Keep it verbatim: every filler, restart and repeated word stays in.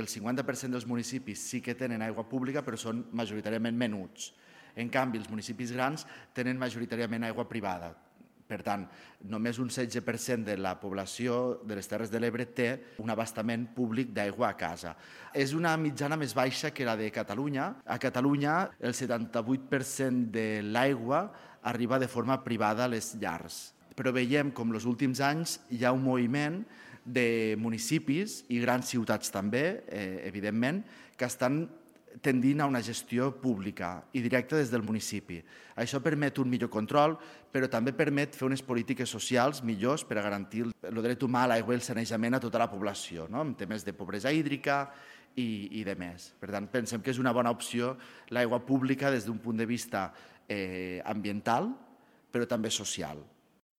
el cinquanta per cent dels municipis sí que tenen aigua pública, però són majoritàriament menuts. En canvi, els municipis grans tenen majoritàriament aigua privada. Per tant, només un setze per cent de la població de les Terres de l'Ebre té un abastament públic d'aigua a casa. És una mitjana més baixa que la de Catalunya. A Catalunya, el setanta-vuit per cent de l'aigua arriba de forma privada a les llars. Però veiem com els últims anys hi ha un moviment de municipis i grans ciutats també, eh, evidentment, que estan tendint a una gestió pública i directa des del municipi. Això permet un millor control, però també permet fer unes polítiques socials millors per a garantir el dret humà a l'aigua i el sanejament a tota la població, no? En temes de pobresa hídrica i, i de més. Per tant, pensem que és una bona opció l'aigua pública des d'un punt de vista eh, ambiental, però també social.